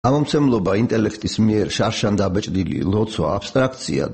ამომცემლობა ინტელექტის მიერ შარშან დაბეჭდილი ლოცვა აბსტრაქციად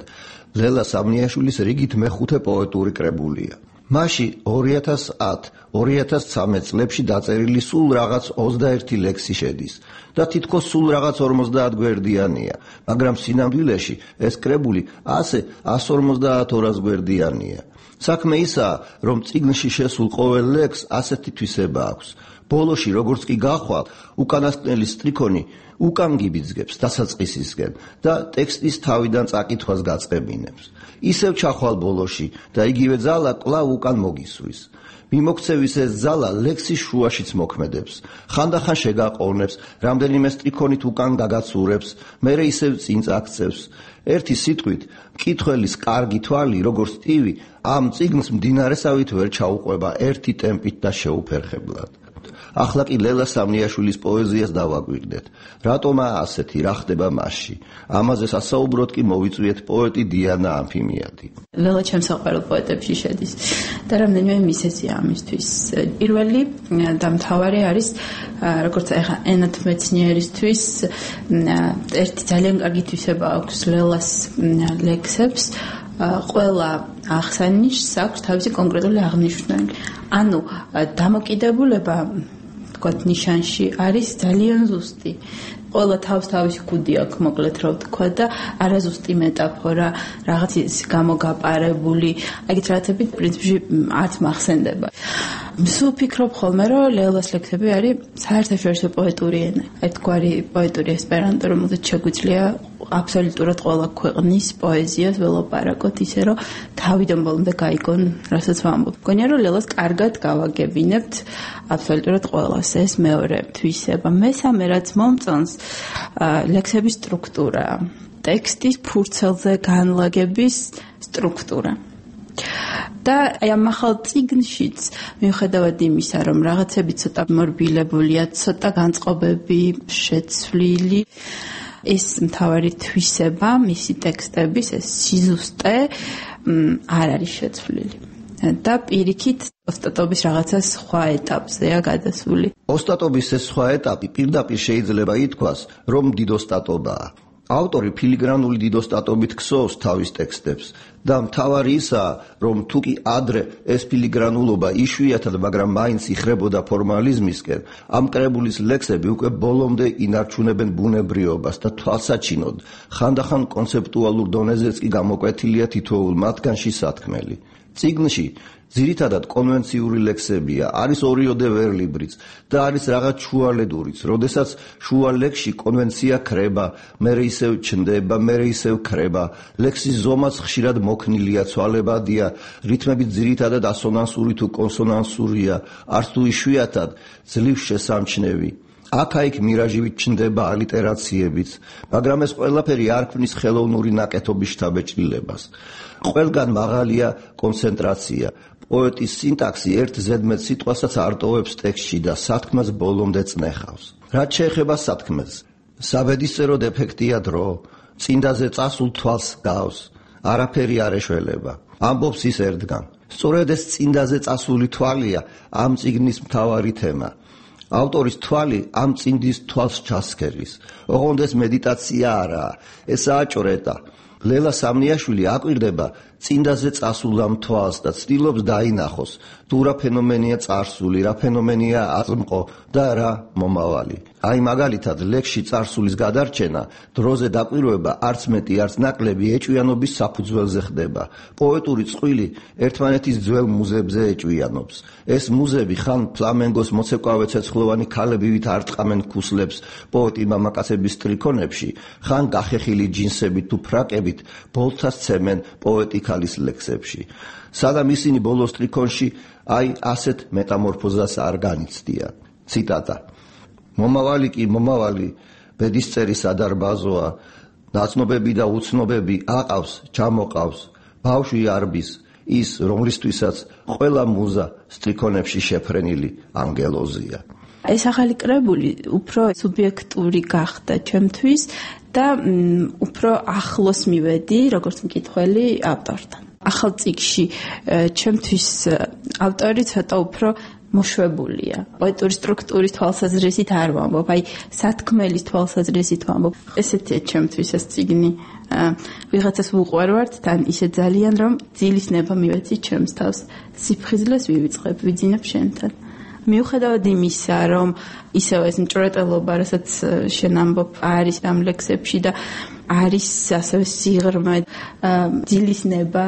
ლელა სამნიაშვილის რიგით მეხუთე პოეტური კრებულია. მასში 2010-2013 წლებში დაწერილი სულ რაღაც 21 ლექსი შედის და თითქოს სულ რაღაც 50 გვერდიანია, მაგრამ სინამდვილეში ეს კრებული ასე 150-200 გვერდიანია. საქმე ისაა, რომ წიგნში შესულ ყოველ ლექსს ასეთი თვისება აქვს. ბოლოში, როგორც კი გახვალ, უკანასკნელი სტრიქონი უკან გიბიძგებს დასაწყისისკენ და ტექსტის თავიდან წაკითხვას გაწყებინებს. ისევ ჩახვალ ბოლოში და იგივე ძალა კვლავ უკან მოგისვრის. მიმოქცევის ეს ძალა ლექსის შუაშიც მოქმედებს. ხანდახან შეგაყოვნებს, რამდენიმე სტრიქონით უკან გაგაცურებს, მერე ისევ წინ წაქცევს. ერთი სიტყვით, მკითხველის კარგი თვალი, როგორც ტივი, ამ წიგნს მდინარესავით ვერ ჩაუყვება ერთი ტემპით და შეუფერხებლად. ახლა კი ლელა სამნიაშვილის პოეზიას დავაგვირდეთ. რატომაა ასეთი, რა ხდება მასში? ამაზე სასაუბროდ კი მოვიწვიეთ პოეტი დიანა ამფიმიადი. ლელა ჩემს საყვარელ პოეტებში შედის და რამდენიმე მიზეზია ამისთვის. პირველი და მთავარი არის, როგორც ეხა ენათმეცნიერისთვის ერთი ძალიან კარგი თვისება აქვს ლელას ლექსებს. ყველა აღსანიშს აქვს თავისი კონკრეტული აღნიშვნელი. ანუ დამოკიდებულება თქვათ ნიშანში არის ძალიან ზუსტი. ყველა თავისი კუდი აქვს, მოკლედ რა ვთქვა და არაზუსტი მეტაფორა, რაღაც გამოგაპარებული, ეგეთ რაღაცები პრინციპში არც მახსენდება. სულ ფიქრობ ხოლმე, რომ ლელას ლექსები არის საერთაშორისო პოეტური ენა. ერთგვარი პოეტური ესპერანტო, რომელზეც შეგვიძლია აბსოლუტურად ყველა ქვეყნის პოეზიას ველაპარაკოთ, ისე რომ თავიდან ბოლომდე გაიგონ, რასაც ვამბობ. მგონია, რომ ლელას კარგად გავაგებინებთ აბსოლუტურად ყველას. ეს მეორე თვისება. მესამე რაც მომწონს, ლექსების სტრუქტურა, ტექსტის ფურცელზე განლაგების სტრუქტურა. და აი ამ ახალ წიგნშიც მიუხედავად იმისა, რომ რაღაცები ცოტა მორბილებულია, ცოტა განწყობები შეცვლილი, ეს მთავარი თვისება, მისი ტექსტების ეს სიზუსტე არ არის შეცვლილი. და პირიქით ოსტატობის რაღაცა სხვა ეტაპზეა გადასული. ოსტატობის ეს სხვა ეტაპი პირდაპირ შეიძლება ითქვას, რომ დიდოსტატობაა. ავტორი ფილიგრანული დიდოსტატობით ქსოვს თავის ტექსტებს და მთავარი ისაა, რომ თუკი ადრე ეს ფილიგრანულობა იშვიათად, მაგრამ მაინც იხრებოდა ფორმალიზმისკენ, ამ კრებულის ლექსები უკვე ბოლომდე ინარჩუნებენ ბუნებრიობას და თვალსაჩინოდ, ხანდახან კონცეპტუალურ დონეზეც კი გამოკვეთილია თითოეულ მათგანში სათქმელი. წიგნში ძირითადად კონვენციური ლექსებია, არის ორიოდე ვერლიბრიც და არის რაღაც შუალედურიც, როდესაც შუა ლექსში კონვენცია ქრება, მერე ისევ ჩნდება, მერე ისევ ქრება, ლექსის ზომაც ხშირად მოქნილია, ცვალებადია, რითმები ძირითადად ასონანსური თუ კონსონანსურია, არც თუ იშვიათად ძლივ შესამჩნევი. აქა-იქ მირაჟივით ჩნდება ალიტერაციებიც, მაგრამ ეს ყველაფერი არ ქმნის ხელოვნური ნაკეთობის შთაბეჭდილებას. ყველგან მაღალია კონცენტრაცია. პოეტის სინტაქსი ერთ ზედმეტ სიტყვასაც არ ტოვებს ტექსტში და სათქმას ბოლომდე წნეხავს. რაც შეეხება სათქმეს, საბედისწერო დეფექტია დრო, წინდაზე წასულ თვალს გავს, არაფერი არ ეშველება. ამბობს ის ერთგან. სწორედ ეს წინდაზე წასული თვალია ამ წიგნის მთავარი თემა. ავტორის თვალი ამ წინდის თვალს ჩასქერის. ოღონდ ეს მედიტაცია არაა, ესაა ჭრეტა. ლელა სამნიაშვილი აკვირდება წინდაზე წასულ ამ თვალს და ცდილობს დაინახოს, თუ რა ფენომენია წარსული, რა ფენომენია აზმყო და რა მომავალი. აი მაგალითად, ლექსში წარსულის გადარჩენა, დროზე დაკვირვება არც მეტი, არც ნაკლები ეჭვიანობის საფუძველზე ხდება. პოეტური წყვილი ერთმანეთის ძველ მუზებზე ეჭვიანობს. ეს მუზები ხან ფლამენგოს მოცეკვავე ცეცხლოვანი ქალებივით არტყამენ ქუსლებს პოეტი მამაკაცების სტრიქონებში, ხან გახეხილი ჯინსებით თუ ფრაკებით ბოლცას ცემენ პოეტი ქალის ლექსებში. სადამ ისინი ბოლო სტრიქონში აი ასეთ მეტამორფოზას არ განიცდიან. ციტატა. მომავალი კი მომავალი, ბედისწერის ადარბაზოა, ნაცნობები და უცნობები აყავს, ჩამოყავს, ბავშვი არბის, ის რომლისთვისაც ყველა მუზა სტრიქონებში შეფრენილი ანგელოზია. ეს ახალი კრებული უფრო სუბიექტური გახდა ჩემთვის და უფრო ახლოს მივედი, როგორც მკითხველი ავტორთან. ახალ წიგნში ჩემთვის ავტორი ცოტა უფრო მოშვებულია. პოეტური სტრუქტურის თვალსაზრისით არ ვამბობ, აი სათქმელის თვალსაზრისით ვამბობ. ესეთია ჩემთვის ეს წიგნი. ვიღაცას ვუყვარვართ თან ისე ძალიან რომ ძილის ნება მივეცი ჩემს თავს. სიფხიზლეს ვივიწყებ, ვიძინებ შენთან. მიუხედავად იმისა, რომ ისევ ეს მჭვრეტელობა, რასაც შენ ამბობ, არის ამ ლექსებში და არის ასევე სიღრმე, ძილის ნება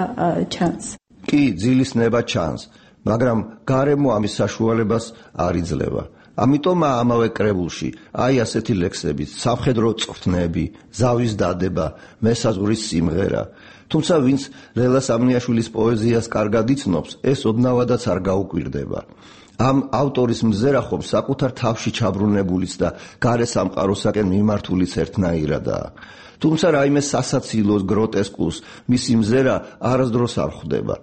ჩანს. კი, ძილის ნება ჩანს, მაგრამ გარემო ამის საშუალებას არ იძლევა. ამიტომ ამავე კრებულში აი ასეთი ლექსები, სამხედრო წვრთნები, ზავის დადება, მესაზღვრის სიმღერა. თუმცა ვინც ლელა სამნიაშვილის პოეზიას კარგად იცნობს, ეს ოდნავადაც არ გაუკვირდება. ამ ავტორის მზერა ხომ საკუთარ თავში ჩაბრუნებულიც და გარე სამყაროსაკენ მიმართულიც ერთნაირადაა. თუმცა რაიმე სასაცილოს, გროტესკულს მისი მზერა არასდროს არ ხვდება.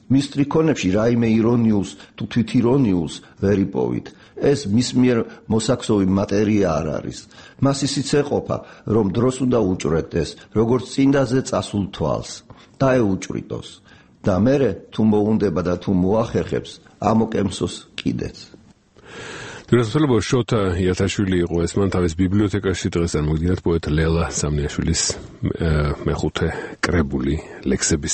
მის სტრიქონებში რაიმე ირონიულს თუ თვითირონიულს ვერ იპოვით. ეს მის მიერ მოსაქსოვი მატერია არ არის. მას ისიც ეყოფა, რომ დროს უნდა უჭვრეტდეს, როგორც წინდაზე წასულ თვალს, დაეუჭვრიტოს. და მერე თუ მოუნდება და თუ მოახერხებს, ამოკემსოს კიდეც. დირექტორ შოთა იათაშვილი იყო ეს, მან თავის ბიბლიოთეკაში დღეს წარმოგიდგენთ პოეტ ლელა სამნიაშვილის მეხუთე კრებული ლექსების